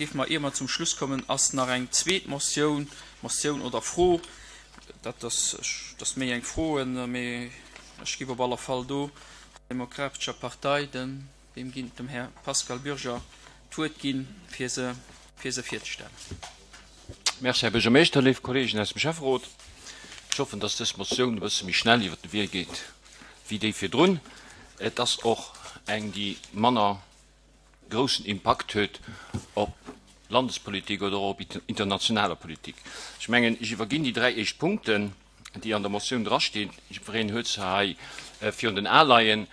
Géife mer, ier mer zum Schluss kommen, ass nach eng zweet Motioun, Motioun oder Fro, dat ass, dat ass méi eng Fro, mee ech géif op alle Fall do der Demokratescher Partei, dem, wem ginn, dem Här Pascal Bürger d'Wuert ginn, fir se, fir se virzestellen. Merci, Här Buergermeeschter. Léif Kolleegen aus dem Schäfferot, ech hoffen, dass dës Motioun e bësse méi schnell iwwert de Wee geet wéi déi virdrun. Et ass och eng, déi manner groussen Impakt huet op Landespolitik oder och op internationaler Politik. Ech mengen, ech iwwerginn déi dräi éischt Punkten, déi an der Motioun drastinn. Jiddwereen huet se hei virun den Ae leien,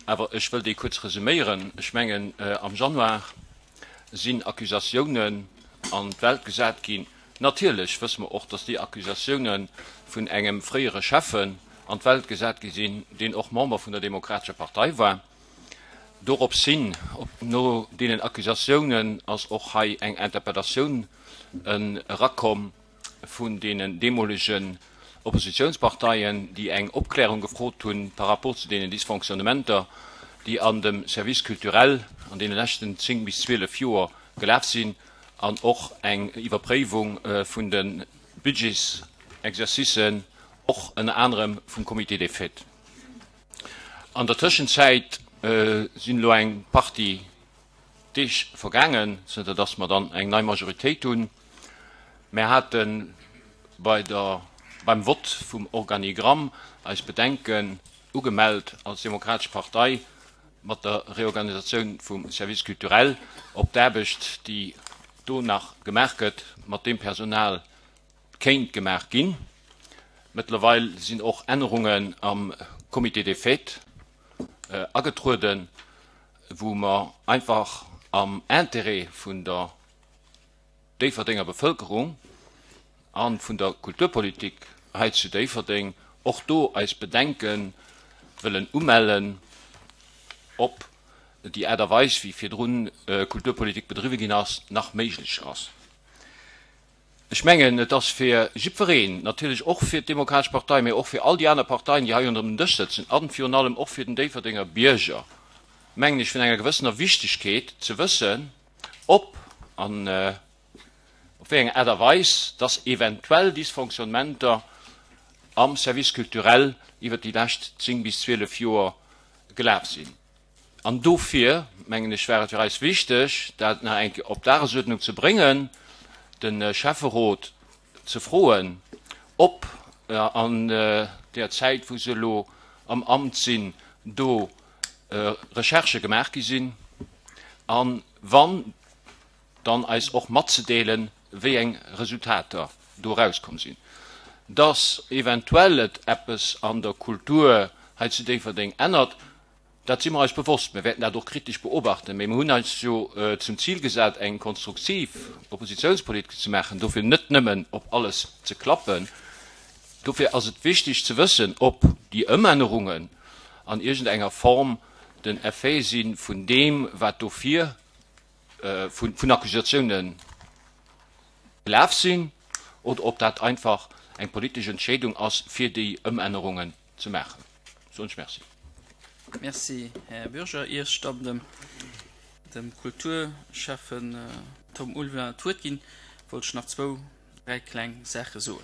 awer ech wëll déi kuerz resuméieren. Ech mengen, am Januar sinn Accusatiounen an d'Welt gesat ginn. Natierlech wësse mer och, dass déi Accusatioune vun engem fréiere Schäffen an d'Welt gesat gi sinn, deen och Member vun der Demokratescher Partei war. Dorops hin, no deenen Accusatiounen, ass och hei eng Interpellatioun erakomm vun deenen deemolegen Oppositionsparteien, déi eng Opklärung gefrot hunn par rapport zu deenen Dysfonctionnementer, déi an dem Service culturel an deene leschten 10 bis 12 Joer gelaf sinn, an och eng Iwwerpréiwung vun de Budgetsexercicen, och ënner anerem vum Comité des fêtes. An der Tëschenzäit sinn elo eng Partie Deeg vergaangen, zënter datt mer dann eng nei Majoritéit hunn. Mär hate bei der, beim Vott vum Organigramm eis Bedenken ugemellt als Demokratesch Partei mat der Reorganisatioun vum Service culturel, ob d'Aarbecht, déi do nach gemaach gëtt, mat deem Personal kéint gemaach ginn. Mëttlerweil sinn och Ännerungen am Comité des fêtes agetrueden, wou mer einfach am Intérêt vun der Déifferdenger Bevëlkerung a vun der Kulturpolitik hei zu Déifferdeng och do eis Bedenke wëllen umellen, ob déi Aart a Weis, wéi virdrun Kulturpolitik bedriwwe ginn ass, nach méiglech ass. Ech mengen, et ass fir jiddwereen, natierlech och fir d'Demokratesch Partei, mä och fir all déi aner Parteien, déi hei ronderëm den Dësch sëtzen, a virun allem och fir den Déifferdenger Bierger, mengen ech, vun enger gewëssener Wichtigkeet ze wëssen, ob an op wéi eng Aart a Weis dass eventuell Dysfonctionnementer am Service culturel iwwert déi lescht 10 bis 12 Joer gelaf sinn. An dofir, mengen ech, war et fir eis wichteg, dat nach eng Kéier op d'Dagesuerdnung ze bréngen, de Schäfferot ze froen, ob an där Zäit, wou se elo am Amt sinn, do Recherchë gemaach gi sinn, a wann, dann eis och matzedeelen, wéi eng Resultater do erauskomm sinn. Dass eventuell et eppes an der Kultur hei zu Déifferdeng ännert, Dat si mer eis bewosst. Mir wäerten dat och kritesch beobachten. Mee mir hunn eis jo zum Zil gesat, eng konstruktiv Oppositionspolitik ze maachen, dofir net nëmmen op alles ze klappen. Dofir ass et wichtig ze wëssen, ob déi Ëmännerungen an iergendenger Form den Effet si vun deem, wat dofir vun Accusatiounen gelaf sinn, oder ob dat einfach eng politesch Entscheedung ass, fir déi Ëmännerungen ze maachen. Soen ech Merci. Merci, Här Bürger. Ier ech dann dem, dem Kulturschäffen Tom Ulveling d'Wuert ginn, wollt ech nach zwou, dräi kleng Saache soen.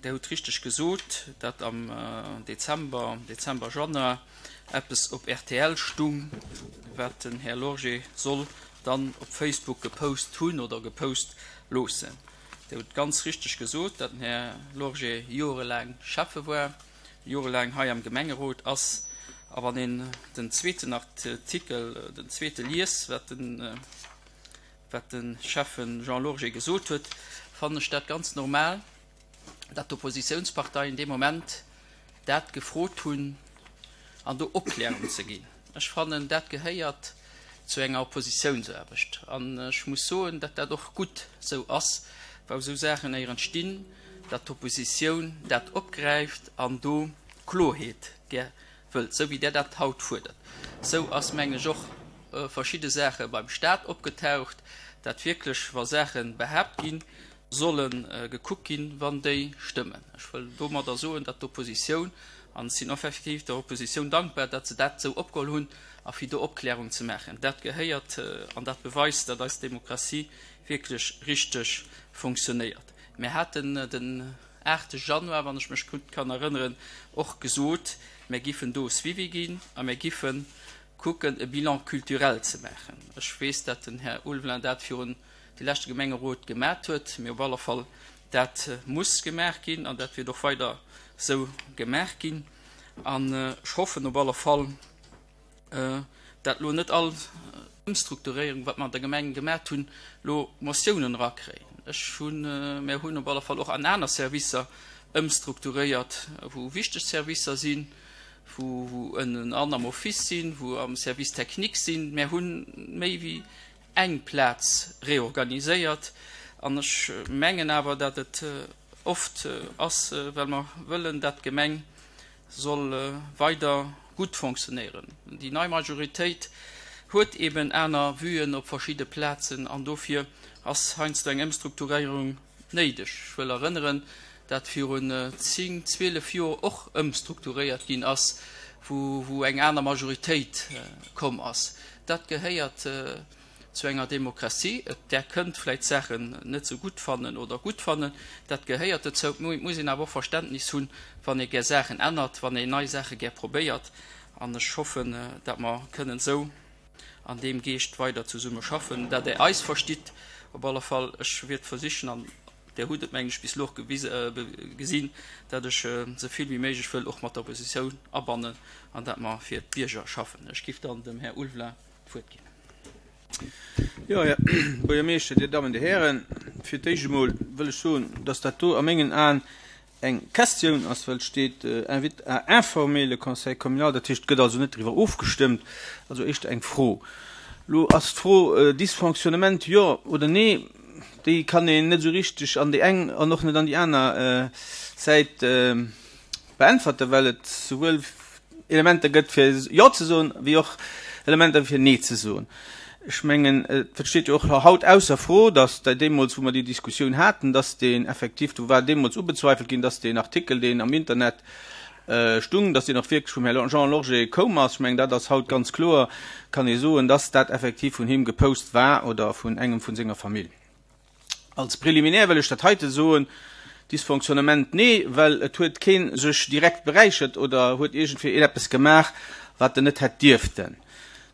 Der hutt richteg gesot, datt am Dezember, Dezember, Januar eppes op rtl stung, wat den Här Lorgé soll dann op Facebook gepost hunn oder gepost loossen. Dir hutt ganz richteg gesot, datt den Här Lorgé jorelaang Schäffe war, jorelaang hei am Gemengerot ass. A wann een den zweeten Artikel, den zweete liest, wat den, wat de Schäffe Jean Lorgé gesot huet, fannen ech dat ganz normal, datt d'Oppositionsparteien dee Moment dat gefrot hunn an do Opklärung ze ginn. Ech fannen, dat gehéiert zu enger Oppositiounsaarbecht. An ech muss soen, datt dat och gutt esou ass, wou esou Saachen éier entstinn, datt d'Oppositioun dat opgräift an do Kloerheet gär wëllt, esou wéi Der dat haut fuerdert. Esou ass, mengen ech, och verschidde Saache beim Stat opgetaucht, datt wierklech, wa Saache behaapt ginn, solle gekuckt ginn, wann déi stëmmen. Ech wëll domadder soen, datt d'Oppositioun. An ech sinn effektiv der Oppositioun dankbar, datt se dat esou opgeholl hunn a fir do Opklärung ze maachen. Dat gehéiert an dat beweist, datt eis Demokratie wierklech richteg fonctionnéiert. Mir haten den 8 Januar, wann ech mech gutt kann erënneren, och gesot, mir giffen do e Suivi ginn a mir giffen kucken, e Bilan culturel ze maachen. Ech weess, datt den Här Ulveling dat virun de leschte Gemengerot gemat huet, mee op alle Fall, dat muss gemaach ginn an dat wäert och weider esou gemaach ginn. An ech hoffen op alle Fall, dat elo net all Ëmstrukturéierung, wat mer an der Gemeng gemat hunn, elo Motiounen erakréien. Ech hunn, mär hunn op alle Fall och an aner Servicer ëmstrukturéiert, wou wichteg Servicer sinn, wou wou ënnen an am Office sinn, wou am Service technique sinn. Mär hunn méi wéi eng Plaz reorganiséiert an ech mengen awer, dat et oft ass, well mer wëllen, dat d'Gemeng soll weider gutt fonctionnéieren. Déi nei Majoritéit huet eben aner Vuen op verschidde Plazen an dofir ass heiansdo eng Ëmstrukturéierung néideg. Ech wëll erënneren, dat virun 10, 12 Joer och ëmstrukturéiert ginn ass, wou eng aner Majoritéit komm ass. Dat gehéiert zu enger Demokratie. Et där kënnt vläit Saachen net esou gutt fannen oder gutt fannen, dat gehéiert dozou. Et muss een awer och Verständnis hunn, wann ee gär Saachen ännert, wann een nei Saache gär probéiert. An ech hoffen, dat mer kënnen esou an deem Geescht weider zesumme schaffen, dat Der eis verstitt. Op alle Fall, ech wiert versichen, an Der hutt et, mengen ech, bis elo och gesinn, dat ech esou vill wéi méiglech wëll och mat der Oppositioun abannen an dat mer fir d'Bierger schaffen. Ech giff dann dem Här Ulveling d'Wuert ginn. Jo, Här Buergermeeschter, Dir Dammen, Dir Hären, fir d'éischt emol wëll ech soen, dass dat do a mengen Aen eng Questioun ass, well et steet invite à informer le Conseil communal, dat heescht, et gëtt also net driwwer ofgestëmmt, also éischter eng Fro. Elo ass d'Fro Dysfonctionnement jo oder nee, déi kann een net esou richteg an déi eng an och net an déi aner Säit beäntwerten, well et souwuel Elementer gëtt fir Jo ze soen, wéi och Elementer fir Nee ze soen. Ech mengen, et steet jo och haut ausser Fro, datt deemools, wou mer déi Diskussioun haten, datt deen effektiv, do war deemools ubezweifelt ginn, datt deen Artikel, deen am Internet stung, datt deen och wierklech vum Här Jean Lorgé koum ass. Ech mengen, dat ass haut ganz kloer, kann ee soen, datt dat effektiv vun him gepost war oder vun engem vu senger Famill. Als Préliminaire wëll ech dat heite soen, Dysfonctionnement, nee, well et huet kee sech direkt beräichert oder huet iergendwéi een eppes gemaach, wat en net hätt dierften.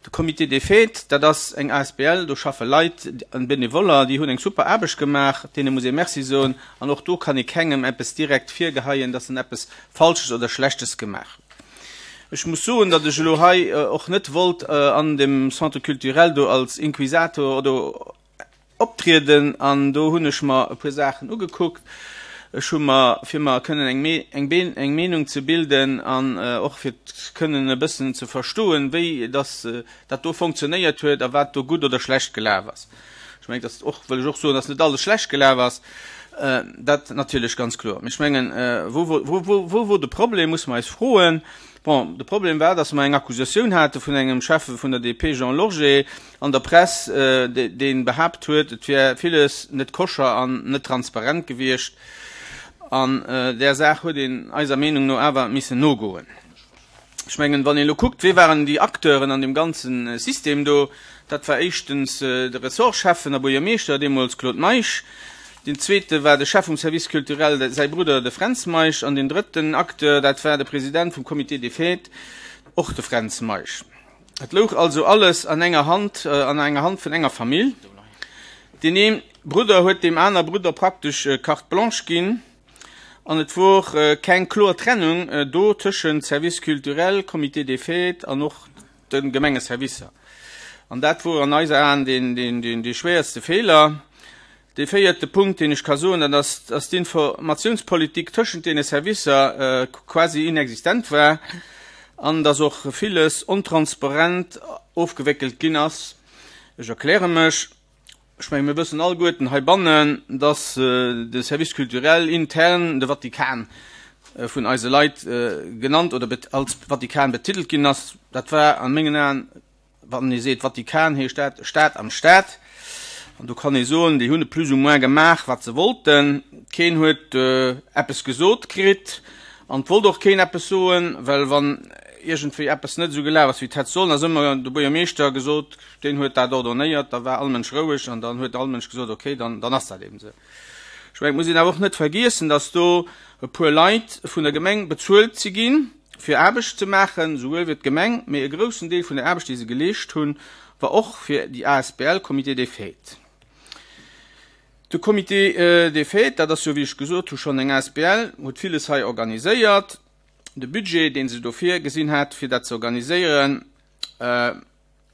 De Comité des Fêtes, dat ass eng asbl, do schaffe Leit, Benevoller, déi hunn eng super Aarbecht gemaach, deene muss ee Merci soen. An och do kann ee kengem eppes direkt virgeheien, dass en eppes Falsches oder Schlechtes gemaach huet. Ech muss soen, datt ech elo hei och net wollt an dem Centre culturel do als Inquisator oder Optrieden an do hunn ech mer e puer Saachen ugekuckt. Ech hu mer, fir mer kënnen eng eng eng Meenung ze bilden an och fir kënnen e bëssen ze verstoen, wéi dass dat do fonctionnéiert huet a wat do gutt oder schlecht gelaf ass. Ech mengen, dass och, wëll ech och soen, dass net alles schlecht gelaf ass, dat natierlech ganz kloer. Mee ech mengen, wou wou wou wou wor de Problem, musse mer eis froen. Bon, de Problem war, dass mer eng Accusatioun hate vun engem Schäffe vun der DP, Jean Lorgé, an der Press, dee behaapt huet, et wär villes net koscher an net transparent gewiescht. An där Saach huet een eiser Meenung no awer missen nogoen. Ech mengen, wann een elo kuckt, wie waren déi Acteuren an deem ganze System do, dat war éischtens de Ressortschäffen a Buergermeeschter, deemools Claude Meisch, deen zweete war de Chef vum Service culturel, säi Brudder, de Fränz Meisch, an deen drëtten Acteur, dat war de President vum Comité des Fêtes, och de Fränz Meisch. Et louch also alles an enger Hand, an enger Hand vun enger Famill. Deen ee Brudder huet deem aner Brudder praktesch Carte blanche ginn an et wor keng kloer Trennung do tëschent Service culturel, Comité des fêtes an och de Gemengeservicer. An dat wor an eiser Aen deen dee schwéierste Feeler. Dee véierte Punkt, deen ech ka soen, dat ass, dass d'Informatiounspolitik tëschent deene Servicer quasi inexistent war an dass och villes ontransparent ofgewéckelt ginn ass. Ech erkläre mech. Ech menge mir wëssen alleguerten heibannen, dass de Service culturel intern de Vatikan vun eise Leit genannt oder als Vatikan betitelt ginn ass. Dat war a mengen Aen Wann ee seet Vatikan, heescht dat Staat am Staat. An do kann ee soen, déi hunn plus ou moins gemaach, wat se wollten. Keen huet eppes gesot kritt. An et wollt och keen eppes soen, well wann iergendwéi eppes net esou gelaf ass, wéi et hätt sollen, ass ëmmer de Buergermeeschter gesot, deen huet dat ordonnéiert, da war all Mënsch roueg an dann huet all Mënsch gesot, okay, dann, dann ass dat eben esou. Ech mengen, et muss een awer och net vergiessen, dass do e puer Leit vun der Gemeng bezuelt si ginn, fir Aarbecht ze maachen, souwuel fir d'Gemeng, mee e groussen Deel vun der Aarbecht, déi se geleescht hunn, war och fir déi asbl Comité des Fêtes. De Comité des Fêtes, dat ass jo, wéi ech gesot hu schonn eng asbl, huet villes hei organiséiert. De Budget, dee se do virgesinn hat, fir dat ze organiséieren,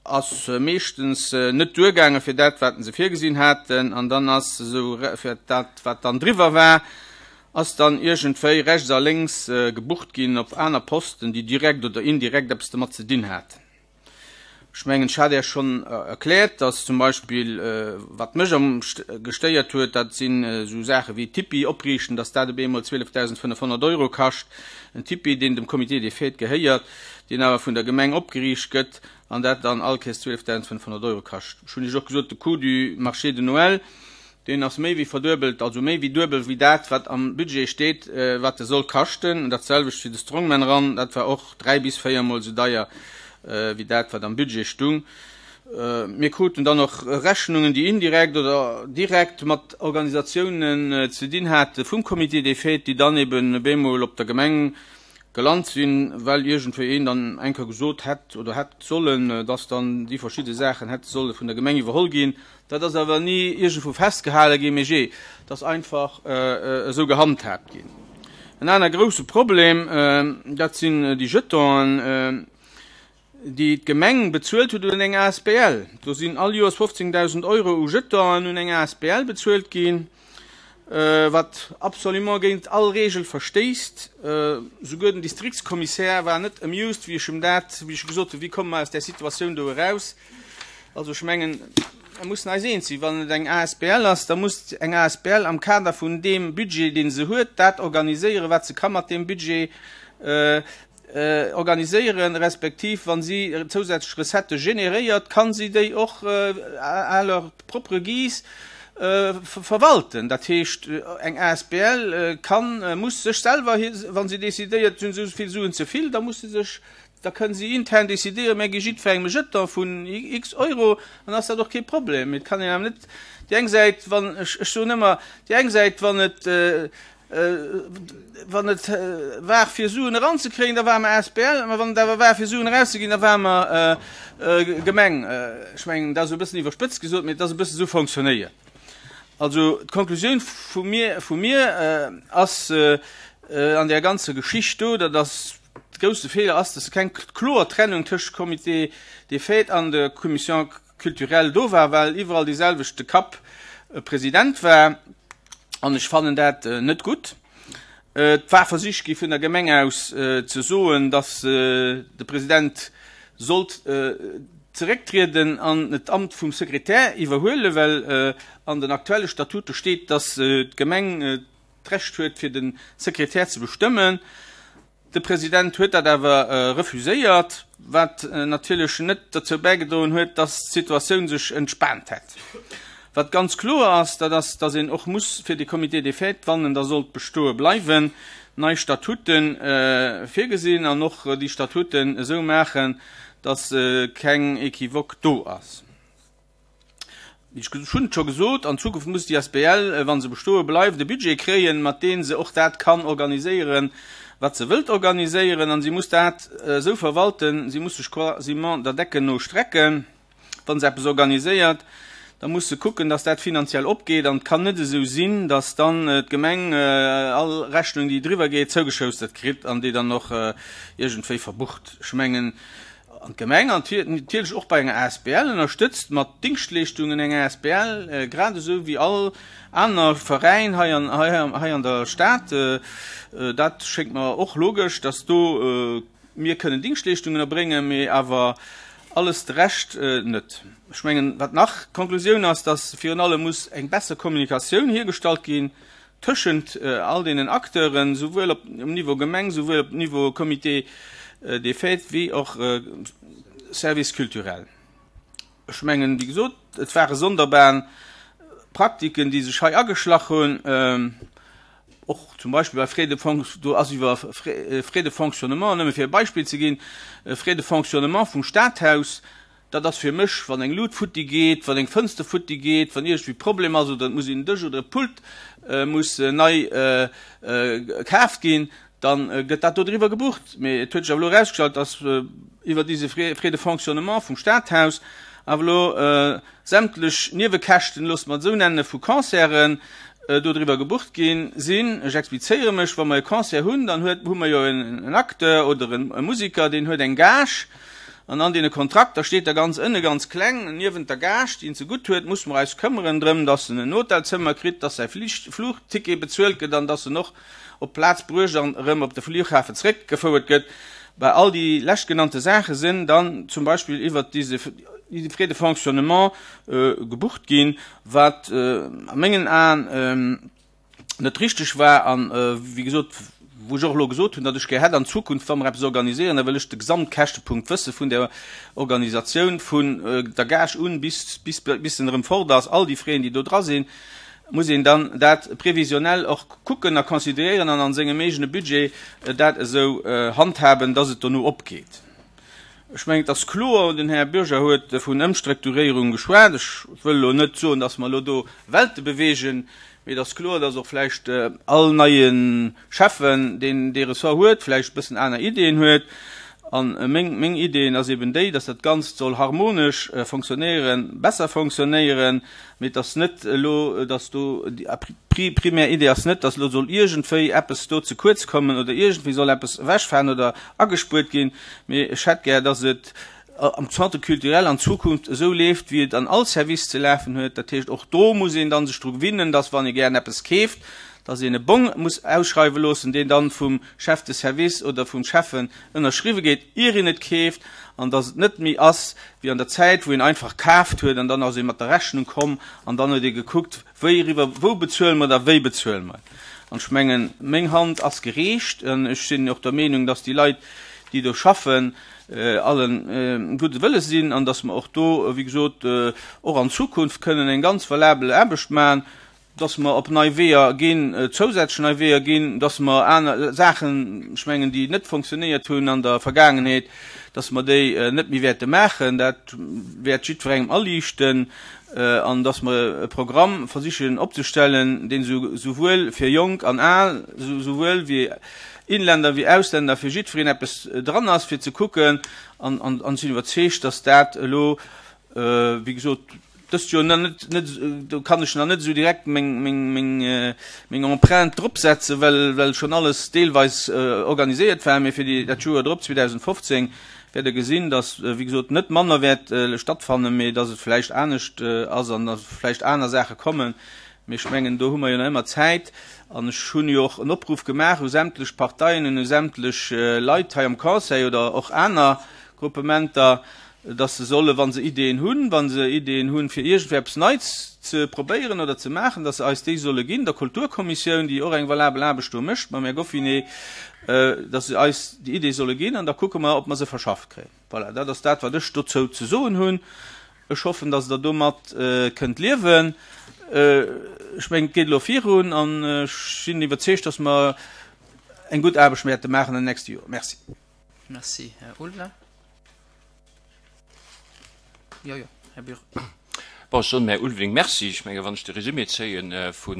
ass meeschtens net duergaange fir dat, wat se virgesinn haten. An dann ass esou fir dat, wat dann driwwer war, ass dann iergendwéi rechts a lénks gebucht ginn op aner Posten, déi direkt oder indirekt eppes domat ze dinn haten. Ech mengen, ech hat Iech schonn erkläert, dass zum Beispill, wat mech am gestéiert huet, dat sinn esou Saache wéi Tipi opriichten, dass dat op eemol 12.500 Euro kascht. En Tipi, deen dem Comité des Fêtes gehéiert, deen awer vun der Gemeng opgeriicht gëtt an dat dann all Kéiers 12.500 Euro kascht. Ech hunn Iech och gesot, de Coût du marché de Noël, Deen ass méi wéi verduebelt, also méi wéi duebel wéi dat, wat am Budget steet, wat e soll kaschten. Dat selwecht fir de Strongman Run, dat war och dräi bis véiermol esou deier wéi dat, wat am Budget stung. Mir kruten dann och Rechnungen, déi indirekt oder direkt mat Organisatiounen ze dinn hate vum Comité des Fêtes, déi dann eben op eemol op der Gemeng gelant sinn, well iergendwéi een dann eng Kéier gesot hätt oder hätt sollen, dass dann déi verschidde Saachen hätte solle vun der Gemeng iwwerholl ginn. Dat ass awer ni iergendwou festgehale ginn, mee jee, et ass einfach esou gehandhaabt ginn. En aner grouse Problem, dat sinn déi Jetonen, déi d'Gemeng bezuelt huet un eng asbl. Do sinn all Joers 15.000 Euro u Jetonen un eng asbl bezuelt ginn, wat absolument géint all Regel verstéisst. Souguer den Distriktskommissär war net amused, wéi ech em dat, wéi ech gesot hunn, wéi komme mer aus där Situatioun do eraus. Also ech mengen, mir mussen eis eens sinn, wann et eng asbl ass, da muss eng asbl am Kader vun deem Budget, dee se huet, dat organiséieren, wat se ka mat deem Budget organiséieren, respektiv wa si zousätzlech Recettë generéiert, ka si déi och à leur propre guise verwalten. Dat heescht, eng asbl kann, muss sech selwer, wa si decidéiert, si hunn esou vill Suen ze vill, da muss se sech Da kënnen si intern decidéieren, mir gi jiddwerengem e Jeton vun x Euro, dann ass dat och kee Problem. Mee et kann een awer net déi eng Säit, wann, ech soen ëmmer, déi eng Säit, wann et, wann et war fir Suen eranzekréien, da ware mer asbl, mä wann et awer war fir Suen erauszeginn, da ware mer Gemeng. Ech mengen, dat ass e bëssen iwwerspëtzt gesot, mee et ass e bësse esou fonctionnéiert. Also d'Konklusioun vu mir, vu mir ass an där ganzer Geschicht do, dat ass, De grousse Feeler ass, dass keng kloer Trennung tëscht Comité des Fêtes an der Commission culturelle do war, well iwwerall dee selwechte Kapp President war. An ech fannen dat net gutt. Et war versicht gi vun der Gemeng aus ze soen, dass de President sollt zerécktrieden an d'Amt vum Sekretär iwwerhuelen, well an den aktuelle Statute steet, dass d'Gemeng d'Recht huet fir de Sekretär ze bestëmmen. De President huet dat awer refuséiert, wat natierlech net dozou bäigedroen huet, datt d'Situatioun sech entspaant hätt. Wat ganz kloer ass, dat ass, datt een och muss fir de Comité des Fêtes, wann en da sollt bestoe bleiwen, nei Statute virgesinn an och déi Statuten esou maachen, datt keng Equivoque do ass. Ech hunn et scho gesot, an Zukunft muss déi asbl, wa se bestoe bleift, e Budget kréien, mat deem se och dat kann organiséieren, wat se wëllt organiséieren. A si muss dat esou verwalten, si muss sech quasiment der Decken no strecken. Wa se eppes organiséiert, da muss se kucken, dass dat finanziell opgeet. An et kann net esou sinn, dass dann d'Gemeng all Rechnung, déi driwwer geet, zougeschoustert kritt an déi dann och iergendwéi verbucht. Ech mengen, An d'Gemeng an natierlech och bei enger asbl ënnerstëtzt mat Dingschtleeschtungen eng asbl, grad esou wéi all aner Veräin hei an hei an der Stad. Dat schéngt mer och logesch, dass do mir kënnen Dingschtleeschtungen erbréngen, mee awer alles de Rescht net. Ech mengen, wat nach d'Konklusioun ass, dass virun allem muss eng besser Kommunikatioun hiergestallt ginn tëschent all deenen Acteuren, souwuel op um Niveau Gemeng, souwuel op Niveau Comité des Fêtes wéi och Service culturel. Ech mengen, wéi gesot, et ware sonderbar Praktiken, déi sech hei ageschlach hunn. Och zum Beispill bei Frais de fonc-, do ass iwwer Frais de fonctionnement, nëmme fir e Beispill ze ginn, Frais de fonctionnement vum Stadhaus, dat ass fir mech, wann eng Lut futti geet, wann eng Fënster futti geet, wann iergendwéi Problem ass oder et muss een Dësch oder e Pult muss nei kaaft ginn, da gëtt dat do driwwer gebucht. Mee et huet sech awer elo erausgestallt, dass iwwer dise Frais de fonctionnement vum Stadhaus awer elo sämtlech Niewekäschten, loosse mer et esou nennen, vu Concerten dodriwwer gebucht gi sinn. Ech explizéiere mech, Wa mer e Concert hunn, dann huet, hu mer jo en Acteur oder e Musiker, deen huet eng Gage. An an deene Kontrakter steet da ganz ënne ganz kleng, niewent der Gage, déi en zegutt huet, musse mer eis këmmeren drëm, dass en en Hotelzëmmer kritt, dass säi Flugticket bezuelt gëtt an dass en och op d'Plaz bruecht an erëm op de Flughafen zréckgefouert gëtt. Bei all déi leschtgenannte Saache sinn dann zum Beispill iwwert dise Frais de fonctionnement gebucht ginn, wat a mengen Aen net richteg war an, wéi gesot, wou ech och elo gesot hunn, datt ech gär hätt an Zukunft, wa mer eppes organisieren, da wëll ech de Gesamtkäschtepunkt wësse vun der Organisatioun, vun der Gage un bis, bis, bis en erëm fort ass, all déi Frais, déi do dra sinn. muss een dann dat previsionnel och kucken a considéieren an an sengem eegene Budget dat esou handhaben, dass et dono opgeet. Ech mengen, et ass kloer, den Här Bürger huet vun Ëmstrukturéierung geschwat. Ech wëll elo net soen, dass mer elo do Welte bewegen, mee et ass kloer, dass och vläicht all neie Schäffen, deen dee Ressort huet, vläicht e bëssen aner Ideeën huet. A meng, meng Ideen ass eben déi, dass dat Ganzt soll harmonesch fonctionnéieren, besser fonctionnéieren, Mee et ass net elo, dass do, déi primär Idee ass net, dass elo soll iergendwéi eppes do ze kuerz kommen oder iergendwéi soll eppes ewechfalen oder agespuert ginn. Mee ech hätt gär, dass et am Centre culturel an Zukunft esou leeft, wéi et an all Service ze lafen huet. Dat heescht, och do muss een dann sech dru gewinnen, dass, wann ee gären eppes keeft, dass een e Bong muss ausschreiwe loossen, deen dann vum Chef de service oder vum Schäffen ënnerschriwwe gétt, ier een et keeft, an dass et net méi ass wéi an der Zäit, wou een einfach kaaft huet an dann ass ee mat der Rechnung komm an dann huet ee gekuckt, wéi eriwwer, wou bezuele mer et a wéi bezuele mer et. An ech mengen, meng Hand ass gereecht an ech sinn och der Meenung, dass déi Leit, déi do schaffen, allen gudde Wëlles sinn an dass mer och do, wéi gesot, och an Zukunft kënnen eng ganz valabel Aarbecht maachen. dass mer op nei Weeër ginn, zousätzlech nei Weeër ginn, dass mer aner Saachen, ech mengen, déi net fonctionnéiert hunn an der Vergaangenheet, dass mer déi net méi wäerte maachen. Dat wäert jiddwerengem aliichten. An dass mer e Programm versichen opzestellen, deen souwuel fir Jonk an Al, souwuel wéi Inländer wéi Ausländer, fir jiddwereen eppes dran ass, fir ze kucken. An ech sinn iwwerzeegt, dass dat elo, wéi gesot, dëst Joer nach net, net, do kann ech nach net esou direkt meng, meng, meng, meng Empreinte drop setzen, well, well schonn alles deelweis organiséiert war. Mee fir déi, dat Joer drop, 2015, wäert Der gesinn, dass, wéi gesot, net manner wäert stattfannen, mee dass et vläicht anescht ass an dass vläicht aner Saache kommen. Mee ech mengen, do hu mer jo nach ëmmer Zäit. An ech hunn jo och en Opruff gemaach u sämtlech Parteien an u sämtlech Leit hei am Conseil oder och aner Gruppementer, dass se solle, wa se Ideeën hunn, wa se Ideeën hunn, fir iergendwéi eppes Neits ze probéieren oder ze maachen, dass se eis déi solle ginn, der Kulturkommissioun, déi och eng valabel Aarbecht do mécht mam Här Goffinet, dass se eis déi Ideeë solle ginn an da kucke mer, ob mer se verschafft kréien. Voilà, dat ass dat, wat ech dozou ze soen hunn. Ech hoffen, dass Der domat kënnt liewen. Ech mengen, et geet elo virun an ech sinn iwwerzeegt, dass mer eng gutt Aarbecht wäerte maachen an den nächste Joren. Merci. Merci, Här Ulveling. Jo, jo, Här Bürger. Bon, ech soen dem Här Ulveling Merci. Ech menge wann ech de Résumé zéie vu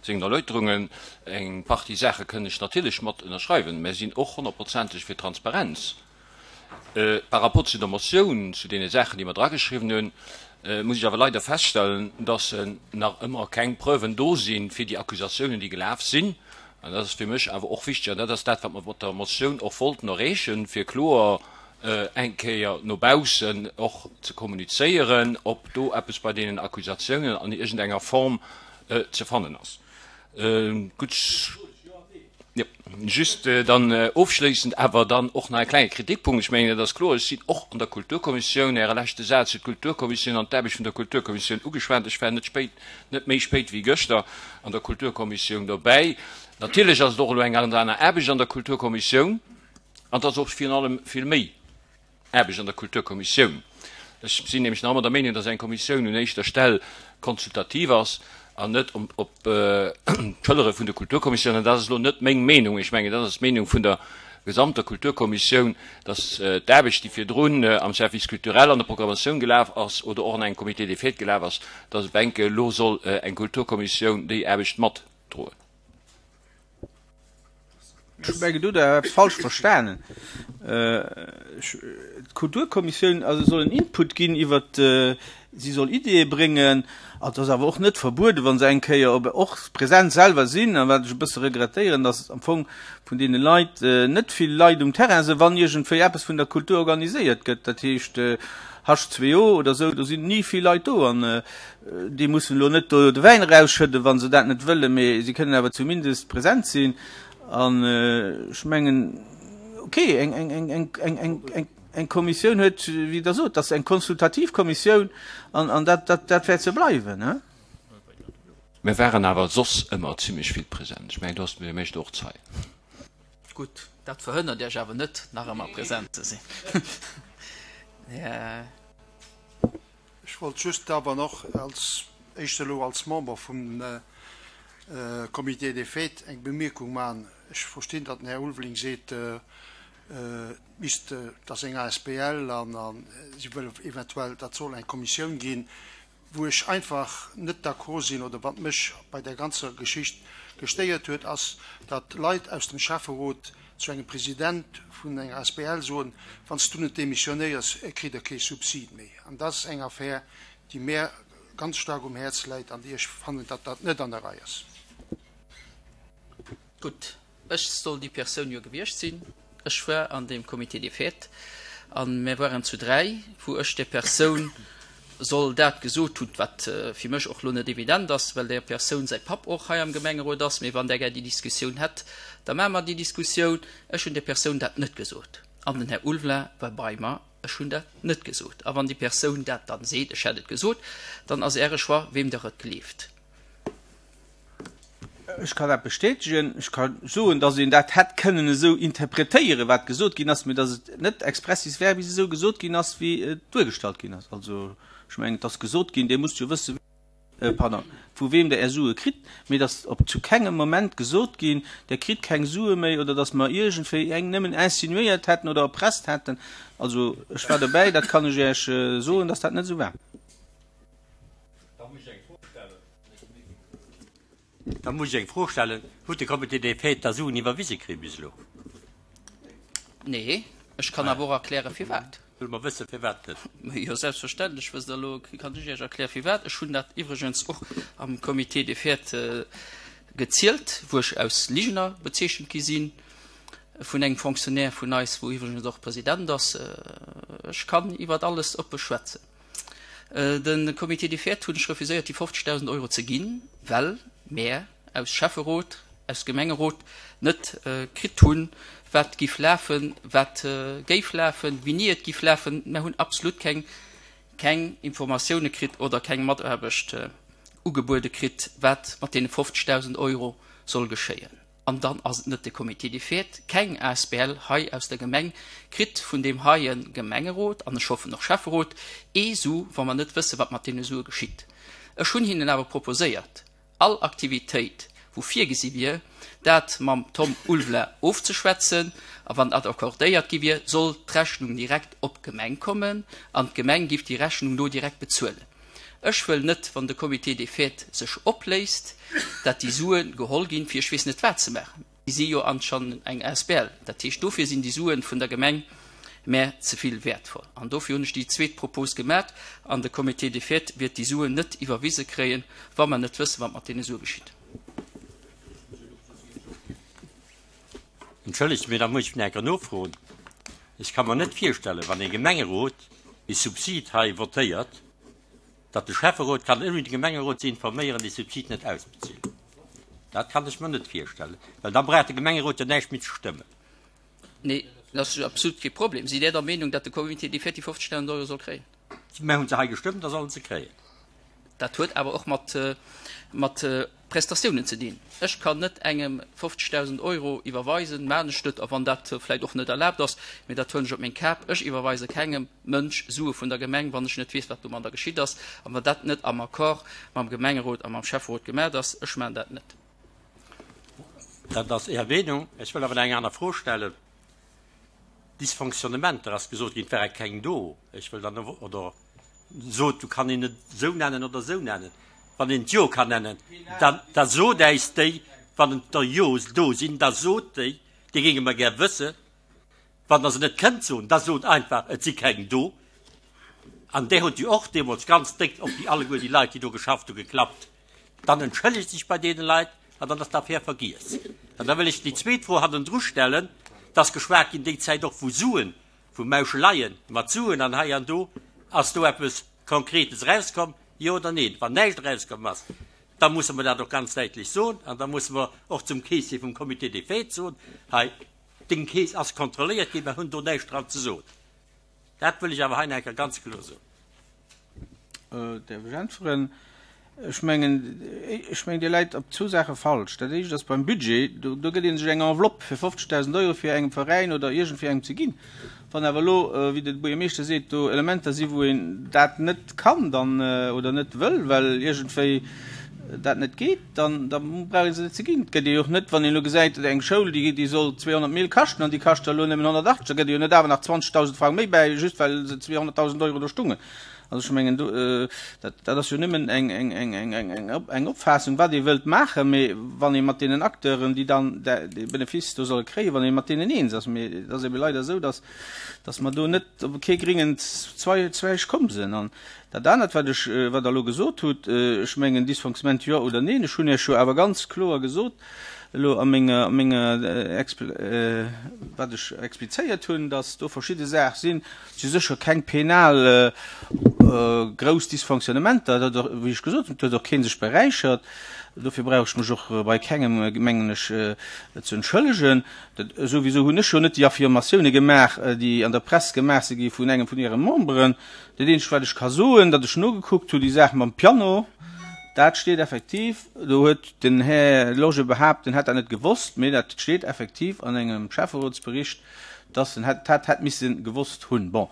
sengen Erläuterungen, eng Partie Saache kënn ech natierlech mat ënnerschreiwen. Mär sinn och honnertprozenteg fir Transparenz. Par rapport zu der Motioun, zu deene Saachen, déi mer drageschriwwen hunn, muss ech awer leider feststellen, dass nach ëmmer keng Preuven do si fir déi Accusatiounen, déi gelaf sinn. An dat ass fir mech awer och wichteg, an dat ass dat, wat mer mat der Motioun och wollten erreechen, fir kloer eng Kéier no baussen och ze kommunizéieren, ob do eppes bei deenen Accusatiounen an iergendenger Form ze fannen ass. Gutt, jo, just dann ofschléissend awer dann och nach e klenge Kritikpunkt. Ech mengen, dat ass kloer, ech sinn och an der Kulturkommissioun. Äre leschte Saz huet d'Kulturkommissioun an d'Aarbecht vun der Kulturkommissioun ugeschwat. Ech war net spéit, net méi spéit wéi gëschter an der Kulturkommissioun dobäi. Natierlech ass et och elo eng ganz aner Aarbecht an der Kulturkommissioun an et ass och virun allem vill méi Aarbecht an der Kulturkommissioun. Ech sinn nämlech nach ëmmer der Meenung, dass eng Kommissioun un éischter Stell konsultativ ass. An net op d'Schëllere vun der Kulturkommissioun. An dat ass elo net meng Meenung, ech mengen, dat ass d'Meenung vun der gesamter Kulturkommissioun, dass d'Aarbecht, déi virdrun am Service culturel an der Programmatioun gelaf ass oder och an engem Comité des fêtes gelaf ass, dass op enke elo soll eng Kulturkommissioun déi Aarbecht matdroen. Ech mengen, do hutt Der eppes falsch verstanen. D'Kulturkommissioun also soll en Input ginn iwwert, si soll Ideeë bréngen. An et ass awer och net verbueden, wa se eng Kéier op och present selwer sinn. A wat ech e bësse regrettéieren, dass am Fong vun deene Leit net vill Leit um Terrain sinn, wann iergendwéi eppes vun der Kultur organiséiert gëtt. Dat heescht H2O oder esou, do sinn ni vill Leit do. An déi mussen elo net do de Wäin erausschëdden, wa se dat net wëllen, mee si kënnen awer zumindest present sinn. An ech mengen, okay, eng, eng, eng, eng, eng, eng, eng, eng Kommissioun huet, wéi Der sot, dat ass eng konsultativ Kommissioun an, an dat, dat, dat wäert se bleiwen. Hein? Mir waren awer soss ëmmer zimlech vill present. Ech mengen, do ass de Buergermeeschter och Zeien. Gutt, dat verhënnert Iech awer net, nach ëmmer present ze sinn. Ech wollt just awer nach als éischt elo als Member vum Comité des fêtes eng Bemierkung maachen. Ech verstinn, datt den Här Ulveling seet, et misst, et ass eng asbl an si wëlle eventuell, dat soll eng Kommissioun ginn. Wou ech einfach net d'accord sinn oder wat mech bei där ganzer Geschicht gestéiert huet, ass, datt Leit aus dem Schäfferot zu engem President vun enger asbl soen, Wann s du net demissionéiers, kritt Der kee Subsid méi. An dat ass eng Affär, déi mär ganz staark um Häerz läit an déi ech fannen, datt dat net an der Rei ass. Gutt, ech soll déi Persoun jo gewiescht sinn. Ech war an deem Comité des fêtes a mir waren zu dräi, wou ech där Persoun soll dat gesot hunn, wat fir mech och elo net evident ass, well där Persoun säi Papp och hei am Gemengerot ass. Mee wann där gär déi Diskussioun hätt, da maache mer déi Diskussioun. Ech hunn där Persoun dat net gesot an den Här Ulveling war bei mer. Ech hunn dat net gesot. A wann déi Persoun dat dann seet, ech hätt et gesot, dann ass Äre Choix, weem Der et gleeft. Ech kann dat bestätegen. Ech ka soen, datt een dat hätt kënnen esou interpretéieren, wat gesot ginn ass, mee datt et net expressis verbis esou gesot ginn ass, wéi et duergestallt ginn ass. Also, ech mengen, et ass gesot ginn, Dir musst jo wëssen, pardon, vu weem Der Är Sue kritt, mee et ass op zu kengem Moment gesot ginn, Der kritt keng Sue méi oder datt mer iergendwéi eng nëmmen insinuéiert hätten oder erpresst hätten. Also, ech war dobäi, dat kann ech Iech soen, datt dat net esou war. Da muss ech eng Fro stellen. Da muss ech eng Fro stellen, Huet de Comité des Fêtes da Suen iwwerwise kritt bis elo? Nee, ech kann awer och erklären, firwat. Wëlle mer wëssen, firwat net? Jo, selbstverständlech wësst Der elo, kann ech Iech erklären, firwat. Ech hunn dat iwwregens och am Comité des Fêtes gezielt, wou ech aus Ligener bezeechent gi si vun engem Fonctionnaire vun eis, wou iwwregens och President ass. Ech kann iwwert alles oppe schwätzen. De Comité des Fêtes hunn ech refuséiert déi 50.000 Euro ze ginn, well mär aus Schäfferot, aus Gemengerot net kritt hunn, wat giff lafen, wat géif lafen, wéini et giff lafen. Mär hunn absolut keng keng Informatioune kritt oder keng Mataarbecht ugebuede kritt, wat mat deene 50.000 Euro soll geschéien. An dann ass et net de Comité des Fêtes, keng asbl hei aus der Gemeng kritt vun deem heie Gemengerot, an ech hoffen och Schäfferot, ee Su, wa mer net wësse wat mat deene Sue geschitt. Ech hunn hinnen awer proposéiert, all Aktivitéit wou virgesi wier, dat mam Tom Ulveling ofzeschwätzen, a wann dat accordéiert gi wier, soll d'Rechnung direkt op d'Gemeng kommen an d'Gemeng giff déi Rechnung do direkt bezuelen. Ech wëll net, wann de Comité des Fêtes sech opléist, dat déi Sue geholl ginn, fir ech weess net wat ze maachen. Déi si jo anscheinend eng asbl. Dat heescht, dofir sinn déi Sue vun der Gemeng mär ze vill wäertvoll. An dofir hunn ech déi zweet Propos gemat. An de Comité des Fêtes wäert déi Suen net iwwerwise kréien, wa mer net wëssen, wat mat deene Sue geschitt. Entschëllegt, mee da muss ech nach eng Kéier nofroen. Ech ka mer net virstellen, wann ee Gemengerot ee Subsid hei votéiert, datt de Schäfferot kann, ouni de Gemengerot ze informéieren, dee Subsid net ausbezilen. Dat kann ech mer net virstellen, well da brauch de Gemengerot jo näischt méi ze stëmmen. Nee, dat ass absolut kee Problem. Sidd Där der Meenung, datt de Comité déi 54.000 Euro soll kréien? Mir hu se hei gestëmmt, da soll en se kréien. Dat huet awer och mat, mat. Prestatiounen ze dinn. Ech kann net engem 50.000 Euro iwwerweisen, maachen ech net, a wann dat vläicht och net erlaabt ass, mee dat huelen ech op meng Kap, ech iwwerweise kengem Mënsch Sue vun der Gemeng, wann ech net weess, wat domadder geschitt ass, a wann dat net am Accord mam Gemengerot a mam Schäfferot gemaacht ass. Ech maachen dat net. Dat ass Är Meenung. Ech wëll awer nach eng aner Fro stellen. Dysfonctionnementer ass gesot ginn, et wäre keng do. Ech wëll dann, oder sot, du kann een et esou nennen oder esou nennen. Wann een et jo kann nennen, da, da sot äis déi, wann et der jo do sinn, da sot déi, déi géinge mer gär wëssen. Wann Der se net kënnt soen, da sot einfach, et si keng do. An där hutt jo och deemools ganz déck op déi alleguer déi Leit, déi do geschafft hu, geklappt. Dann entschëllegt sech bei deene Leit an dann ass d'Affär vergiess. An da wëll ech déi zweet Fro hannendru stellen, Et ass geschwat ginn déi Zäit och vu Suen, vu Mauscheleien mat Suen an hei an do. Ass do eppes Konkretes erauskomm, jo oder neen? Wann näischt erauskomm ass, da musse mer dat och ganz däitlech soen an da musse mer och zum Keessier vum Comité des Fêtes soen, hei, deng Keess ass kontrolléiert ginn, mer hunn do näischt dran ze soen. Dat wëll ech awer hei nach eng Kéier ganz kloer soen. Däerf ech äntweren? Ech mengen, ech mengen, Dir läit op zwou Saache falsch. Dat éischt ass beim Budget, do, do gëtt ee sech eng Enveloppe fir 50.000 Euro fir engem Veräin oder iergendwéi engem ze ginn. Wann awer elo, wéi de Buergermeeschter seet, do Elementer si wou een dat net kann dann oder net wëll, well iergendwéi dat net geet, dann da brauch ee se net ze ginn. Et gëtt ee jo och net, wann een elo gesäit, eng Schoul, déi déi soll 200 Mille kaschten an déi kascht da elo nëmmen 180, da gëtt ee jo net awer nach 20.000 Frang méi bäi, just well se 200.000 Euro do stungen. Also ech mengen, do, dat dat ass jo nëmmen eng eng eng eng eng eng eng Opfaassung, wat ee wëllt maachen, mee wann ee mat deenen Acteuren, déi dann dee Benefice do solle kréien, wann ee mat deenen eens ass. Mee et ass ebe leider esou, dass dass mer do net op kee gréngen Zweig komm sinn. An Dat anert, wat ech, wat Der elo gesot hutt, ech mengen, Dysfonctionnement jo oder neen, ech hunn Iech jo awer ganz kloer gesot elo a menger, a menger, wat ech explizéiert hunn, dass do verschidde Saach sinn, et si sécher keng penal grouss Dysfonctionnementer, dat huet och, wéi ech gesot hunn, et huet och kee sech beräichert, dofir brauch ech mech och bei kengem, mengen ech, ze entschëllegen. Dat souwisou hunn ech jo net déi Affirmatioune gemaach, déi an der Press gemaach si gi vun engem vun Äre Memberen. Dat eenzegt wat ech ka soen, datt ech nogekuckt hu, déi Saach mam Piano, dat steet effektiv, do huet den Här Lorsché behaapt, en hätt dat net gewosst, mee dat steet effektiv an engem Schäfferotsbericht, datt en dat hätt misse gewosst hunn. Bon,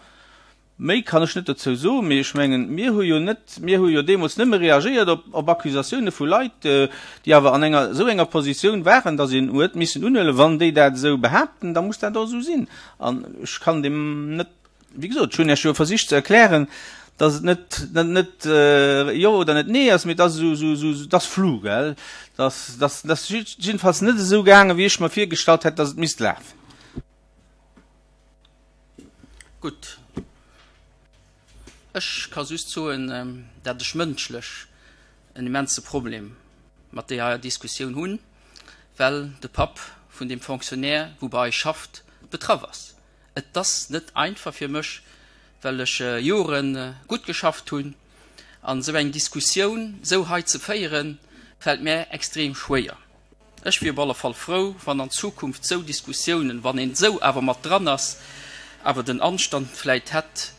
méi kann ech net dozou soen, mee ech mengen, mir hu jo net, mir hu jo deemools nëmme reagéiert op, op Accusatioune vu Leit, déi awer an enger esou enger Positioun waren, datt een huet missen unhuelen, wann déi dat esou behaapten, da muss dat och esou sinn. An ech kann deem net Wéi gesot, ech hunn Iech jo versicht ze erklären, dass et net, net, net jo oder net nee ass, mee et ass esou, esou, esou, et ass flou, gell. Dass, dass, dass jiddefalls net esou gaangen, wéi ech mer virgestallt hätt, dass et misst lafen. Gutt. Ech ka just soen, dat ech mënschlech en immense Problem mat deeër Diskussioun hunn, well de Papp vun deem Fonctionnaire, wou bei eis schafft, betraff ass. Et ass net einfach fir mech, well ech Jore gutt geschafft hunn, an esou eng Diskussioun esou hei ze féieren, fält mär extrem schwéier. Ech wier op alle Fall frou, wann an Zukunft esou Diskussiounen, wann een esou awer mat dran ass, awer den Anstand vläit hätt,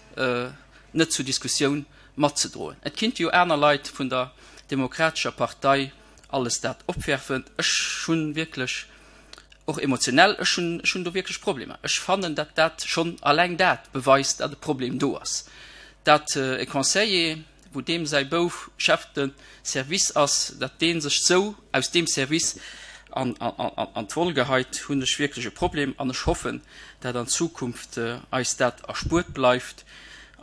net zur Diskussioun matzedroen. Et kinnte jo aner Leit vun der Demokratescher Partei alles dat opwerfen. Ech hunn wierklech och emotionell, ech hunn, ech hunn do wierklech Problemer. Ech fannen, datt dat schonn alleng dat beweist, datt e Problem do ass, datt e Conseiller, wou deem säi Bouf Chef de service ass, datt dee sech esou aus deem Service an, an d'Woll geheit, hunn ech wierklech e Problem an ech hoffen, datt an Zukunft eis dat erspuert bleift.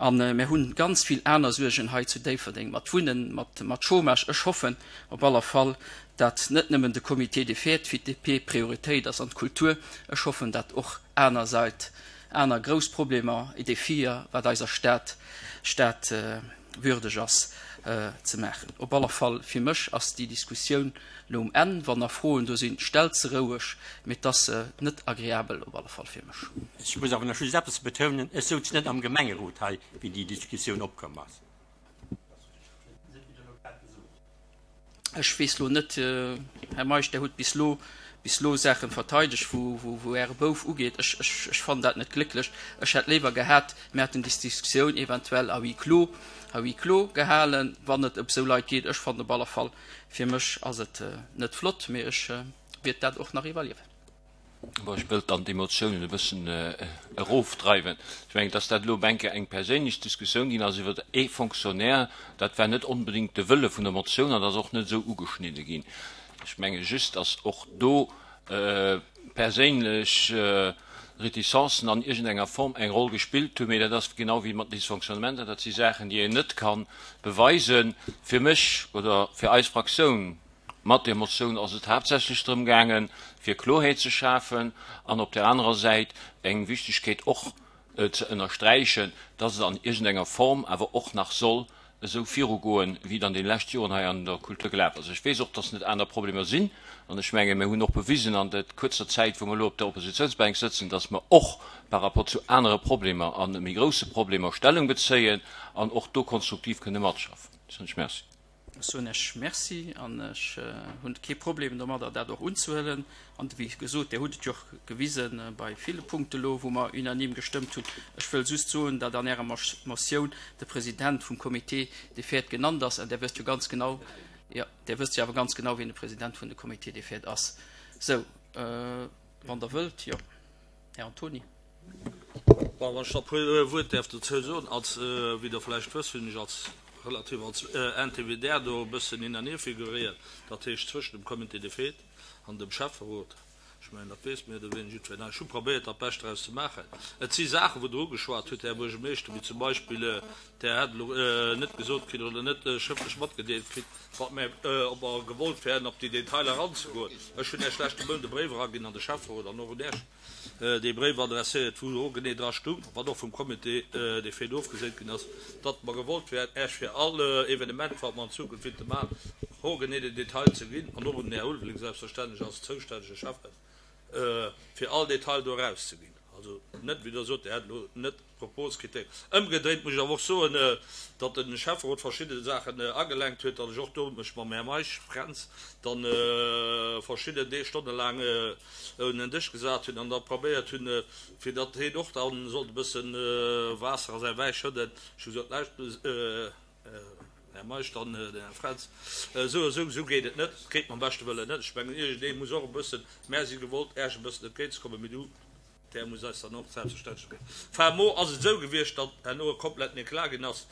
A mir hunn ganz vill aner Suergen hei zu Déifferdeng mat Wunnen, mat, mat Chômage. Ech hoffen op aller Fall, dat net nëmmen de Comité des Fêtes fir d'DP Prioritéit ass an d'Kultur, ech hoffen dat och aner Sait, aner grouss Problemer et Défier, wat eiser Stad Stad würdeg ass ze maachen. Op aller Fall fir mech ass déi Diskussioun lo um Enn. Wann nach Froen do sinn, stellt se roueg, mee et ass net agreabel op alle Fall fir mech. Ech muss awer nach just eppes betounen, Ech souz net am Gemengerot hei, wéi déi Diskussioun opkomm ass. Ech weess lo net, Här Meisch, Der hutt bis lo. bis elo Saachen verteidegt, wou, wou, wou Äre Bouf ugeet. Ech, ech, ech fannen dat net glécklech. Ech hätt léiwer gehat, mir hätten déi Diskussioun eventuell à huis clos, à huis clos gehalen, wann et ëm esou Leit geet. Ech fannen op alle Fall, fir mech ass et net flott, mee ech wäert dat och nach iwwerliewen. Bon, ech wëllt dann d'Emotiounen e bëssen erofdreiwen. Ech mengen, dass dat elo enke eng perséinlech Diskussioun ginn ass iwwer ee Fonctionnaire, dat war net onbedéngt de Wëlle vun der Motioun an ass och net esou ugeschnidde ginn. Ech menge just, dass och do perséinlech Reticencen an iergendenger Form eng Roll gespillt hunn, mee dat ass genau wéi mat Dysfonctionnementer, dat si Saachen, déi een net ka beweisen. Fir mech oder fir eis Fraktioun mat där Motioun ass et haaptsächlech drëm gaangen, fir Kloerheet ze schafen an op där anerer Säit eng Wichtigkeet och ze ënnersträichen, dass et an iergendenger Form awer och nach soll esou virugoen, wéi et an deene leschte Joren hei an der Kultur gelaf ass. Ech weess och, dass net aner Problemer sinn, an ech menge mir hunn och bewisen an der kuerzer Zäit, wou mer elo op der Oppositionsbänk sëtzen, dass mer och par rapport zu anere Problemer a méi grouse Problemer Stellung bezéien an och do konstruktiv kënne matschaffen. Ech soen lech Merci. Ech soen Iech Merci an ech hunn kee Problem domadder, dat och unzehuelen. An wéi gesot, Dir hutt et jo och gewise bei ville Punkte elo, wou mer unanime gestëmmt hunn. Ech wëll just soen, datt an Ärer Motioun de President vum Comité des fêtes genannt ass. An Där wësst jo ganz genau, jo, Där wësst jo awer ganz genau, wien de President vun de Comité des fêtes ass. Sou, wann Der wëllt, jo, Här Antony. Bon, wann ech da e puer Wuert däerf dozou soen, als, wéi Der vläicht wësst, hunn ech als, relativ als Intermédiaire do e bëssen hin an hier figuréiert, dat heescht zwëschen dem Comité des fêtes an dem Schäfferot. Ech mengen, dat weess méi oder wéineger jiddwereen hei. Ech hu probéiert, dat Bescht draus ze maachen. Et si Saachen, wou Der ugeschwat hutt, Här Buergermeeschter, wéi zum Beispill, Der hätt elo net gesot kritt oder net schrëftlech matgedeelt kritt, wat mir, ob mer gewollt wären, op déi Detailer eranzegoen. Ech hunn Iech leschte Mount e Bréif eraginn an de Schäfferot an och un Iech. dee Bréif adresséiert, wou och genee dra stung, wat och vum Comité des fêtes ofgeséint ginn ass, datt mer gewollt wären, Äech fir all Evenement, wat mer an Zukunft willte maachen, och genee den Detail ze ginn, an och un den Här Ulveling selbstverständlech als zoustännege Schäffen, fir all Detail do erauszeginn. Also net, wéi Der sot, Dir hätt elo net Propos kritt. Ëmgedréint muss ech awer och soen, datt de Schäfferot verschidde Saachen agelenkt huet, datt ech och do mech mam Här Meisch Fränz dann verschidden Deeg stonnelaang un en Dësch gesat hunn an da probéiert hunn, fir datt heen och da sollt e bësse Waasser a säi Wäi schëdden. Ech hu gesot, Lauscht, Här Meisch, dann den Här Fränz, esou a sou, esou geet et net, et geet mam beschte Wëllen net. Ech mengen, iergendee muss och e bëssen, mär si gewollt, Äech e bëssen entgéintzekommen, mee du, Där muss eis dann och selbstverständlech ginn. Enfin, mo ass et esou gewiescht, datt herno e kompletten Eclat ginn ass.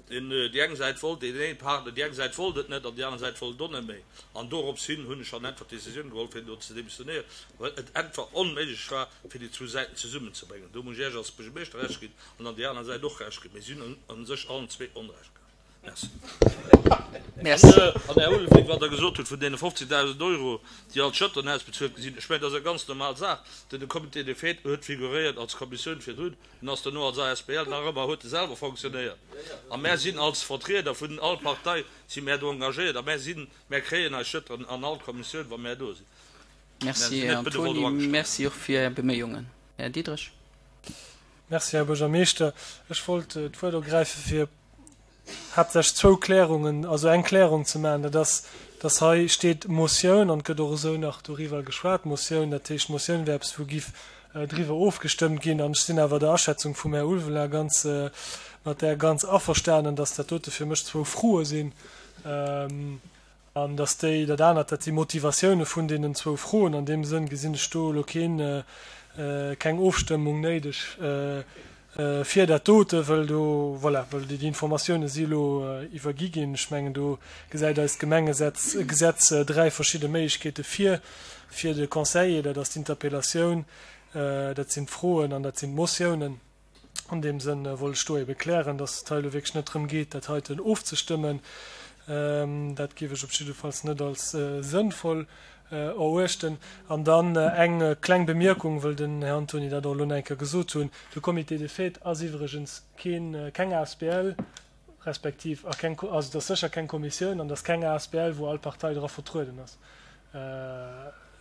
Deen, déi eng Säit wollt deen een Partner, déi eng Säit wollt et net an déi aner Säit wollt et och net méi. An dorops hin hunn ech dann einfach d'Décisioun geholl, fir do ze demissionéieren, well et einfach onméiglech war, fir déi zwou Säiten zesummenzebréngen. Do muss ech Iech als Buergermeeschter Recht ginn an dann déi aner Säit och Recht ginn. Mee si hunn u sech allen zwee Onrecht gehat. Merci. Merci. An, Här Ulveling, wat Der gesot hutt vun deene 50.000 Euro, déi als Schëttern ausbezuelt gi sinn, ech mengen, dat ass eng ganz normal Saach. Den Comité des fêtes huet figuréiert als Kommissioun virdrun, en ass duerno als asbl, nach ëmmer huet e selwer fonctionnéiert. A mär sinn als Vertrieder vun all Partei si mär do engagéiert a mär sinn, mär kréien eis Schëttern an all Kommissioun, wa mär do sinn. Mär Merci, sinn Här net benevol Antony. do agestallt. Merci och fir Är Beméiungen. Här Diderich. Merci, Här Buergermeeschter. Ech wollt d'Wuert ergräife fir haaptsächlech zwou Klärungen, also eng Klärung ze maachen. Dat ass, dass hei steet Motioun an et gëtt och esou nach doriwwer geschwat, Motioun, dat heescht Motioun wär eppes wou giff driwwer ofgestëmmt ginn. An ech sinn awer der Aschätzung vum Här Ulveling ganz, mat där ganz averstanen, dass dat dote fir mech zwou Froe sinn. An datt déi, dat anert, dat si Motivatioune vun deenen zwou Froen. An deem Sënn gesinn ech do elo keen, keng Ofstëmmung néideg fir dat dote, wëll do, voilà, wëll déi Informatioune si elo iwwergi ginn. Ech mengen, do gesäit eist Gemengesetz, Gesetz dräi verschidde Méiglechkeete vir, fir de Conseiller, dat ass d'Interpellatioun, dat sinn d'Froen an dat sinn d'Motiounen. An deem Sënn wollt ech do ebe klären, dass et hei elo wierklech net drëm geet, dat heiten ofzestëmmen. Dat géif ech op jiddefalls net als sënnvoll eruechten. An dann eng kleng Bemierkung, wëll den Här Antony dat och elo nach eng Kéier gesot hunn, De Comité des fêtes ass iwwregens keen, keng asbl, respektiv a keng, also et ass sécher keng Kommissioun an et ass keng asbl, wou all Partei dra vertrueden ass.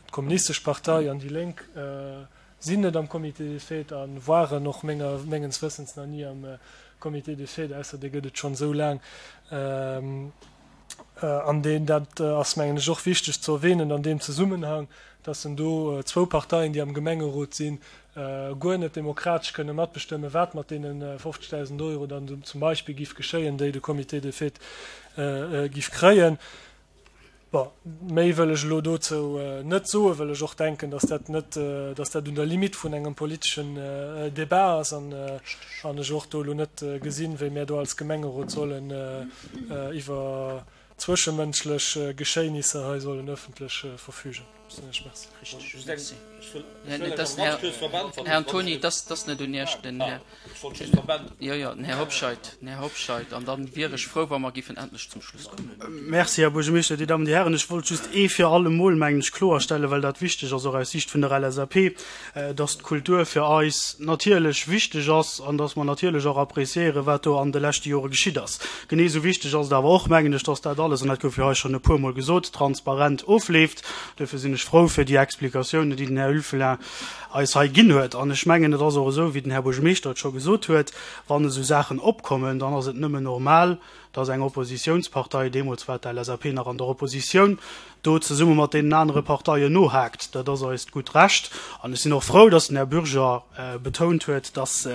D'Kommunistesch Partei an déi Lénk Sinn net am Comité des fêtes a waren och menger mengens Wëssens nach ni am Comité des fêtes, ausser dee gëtt et schonn esou laang. An deen, dat ass mengen ech och wichteg ze erwähnen an deem Zesummenhang, dass en do zwou Parteien, déi am Gemengerot sinn, guer net demokratesch kënne matbestëmmen, wat mat deene 50.000 Euro dann zum Beispill giff geschéien, déi de Comité des fêtes giff kréien. Bon, méi wëll ech elo dozou net soen, well ech och denken, dass dat net, dass dat un der Limite vun engem politeschen Débat ass an an ech och do elo net gesinn, wéi mär do als Gemengerot sollen iwwer zwëschemënschlech Geschéinisser hei sollen öffentlech verfügen. Soen ech Merci. Richtig, merci. Här Antoni, dass ass net un Iech, den Här, jo, jo, den Här Hobscheit, den Här Hobscheit, an dann wier ech frou, wa mer giffen endlech zum Schluss kommen. Merci, Här Buergermeeschter, Dir Dammen, Dir Hären. Ech wollt just ee fir alle Mol, mengen ech, kloerstellen, well dat wichteg ass, och aus Siicht vun der LSAP, dass d'Kultur fir eis natierlech wichteg ass an dass mer natierlech och appréciéieren, wat do an de leschte Jore geschitt ass. Genee esou wichteg ass et awer och, mengen ech, dass dat alles, an dat gouf jo hei schonn e puermol gesot, transparent ofleeft. Duerfir sinn ech frou fir déi Explikatiounen, déi den Här Ulveling eis hei ginn huet. An ech mengen, et ass och esou, wéi den Här Buergermeeschter et scho gesot huet, Wann esou Saachen opkommen, dann ass et nëmmen normal, dass eng Oppositionspartei, deemools war d'LSAP nach an der Oppositioun, do zesumme mat deenen anere Parteien nohaakt. Dat ass eist gutt Recht. An ech sinn och frou, dass den Här Bürger betount huet, dass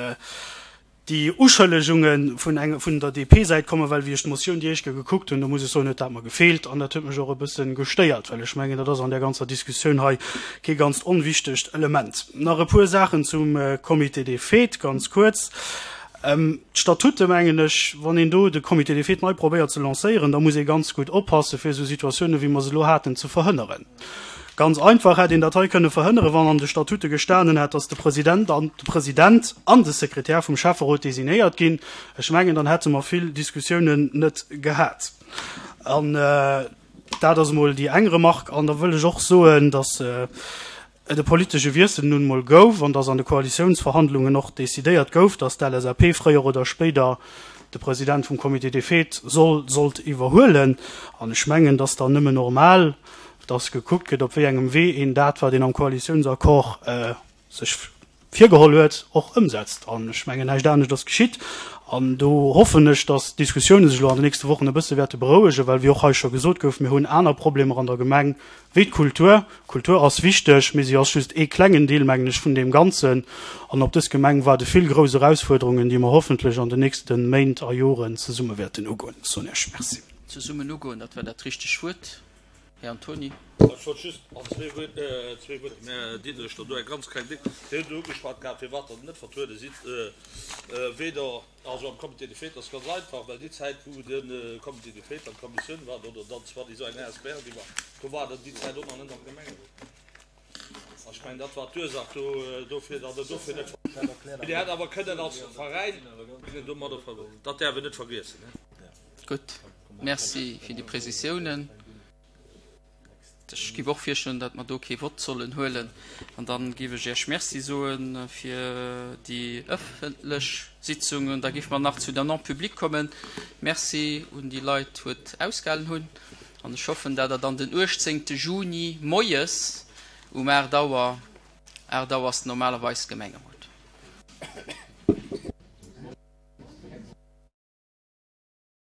déi Uschëllegunge vun eng vun der DP-Säit kommen, well wéi ech d'Motioun déi éischt Kéier gekuckt hunn, do muss ech soen, huet dat mer gefeelt an dat huet mech och e bësse gestéiert, well ech mengen, dat ass an där ganzer Diskussioun hei kee ganzt onwichtegt Element. Nach e puer Saachen zum Comité des fêtes, ganz kuerz. D'Statute, mengen ech, wann een do de Comité des fêtes nei probéiert ze lancéieren, da muss ee ganz gutt oppassen, fir esou Situatiounen, wéi mer se elo haten, ze verhënneren. Ganz einfach hätt een dat hei kënne verhënneren, wann an de Statute gestanen hätt, dass de President an de President an de Sekretär vum Schäfferot designéiert ginn. Ech mengen, dann hätte mer vill Diskussiounen net gehat. An dat ass emol déi eng Remarque. An da wëll ech och soen, dass et e politesche Wiessel nun emol gouf an dass an de Koalitiounsverhandlungen och decidéiert gouf, dass d'LSAP fréier oder spéider de President vum Comité des fêtes soll, sollt iwwerhuelen. An ech mengen, dass dann nëmmen normal, dass gekuckt gëtt, op wéi engem Wee een dat, wat een am Koalitiounsaccord sech virgeholl huet, och ëmsetzt. An ech mengen, näischt anescht ass geschitt. An do hoffen ech, dass d'Diskussioune sech elo an den nächste Wochen e bësse wäerte berouegen, well, wéi och hei scho gesot gouf, mir hunn aner Problemer an der Gemeng wéi d'Kultur. Kultur ass wichteg, mee si ass just ee klengen Deel, mengen ech, vun deem Ganzen. An op dës Gemeng waarde vill grouss Erausfuerderungen, déi mer hoffentlech an den nächste Méint a Joren zesumme wäerten ugoen. Soen Iech Merci. Zesummen ugoen, dat war dat richteg Wuert, Här Antoni. Ech wollt just an zwee Wuert dem Här Diderich do eng ganz kleng Ding. Dir hutt ugeschwat gehat, firwat Der net vertruede sidd, weder Also am Comité des fêtes ass ganz einfach, well déi Zäit wou de Comité des fêtes an d'Kommissioun war, oder dann zwar déi esou eng asbl gi war, do war der déi Zäit och nach net am Gemengerot. An ech mengen dat war d'Ursach do dofir, datt der dofir net. Mee Dir hätt awer kënnen als Veräin domadder, dat däerf een net vergiessen. Gutt, Merci fir déi Prezisiounen. Ech giff och virschloen, datt mer do kee Vott sollen huelen. An dann giff ech Iech Merci soe fir déi ëffentlech Sitzung. An da giff mer nach zu der Non-publique kommen. Merci un déi Leit, wou et ausgehalen hunn. An ech hoffen, dat Der dann den 18. Juni moies um 8 Auer, 8 Auer ass normalerweis Gemengerot.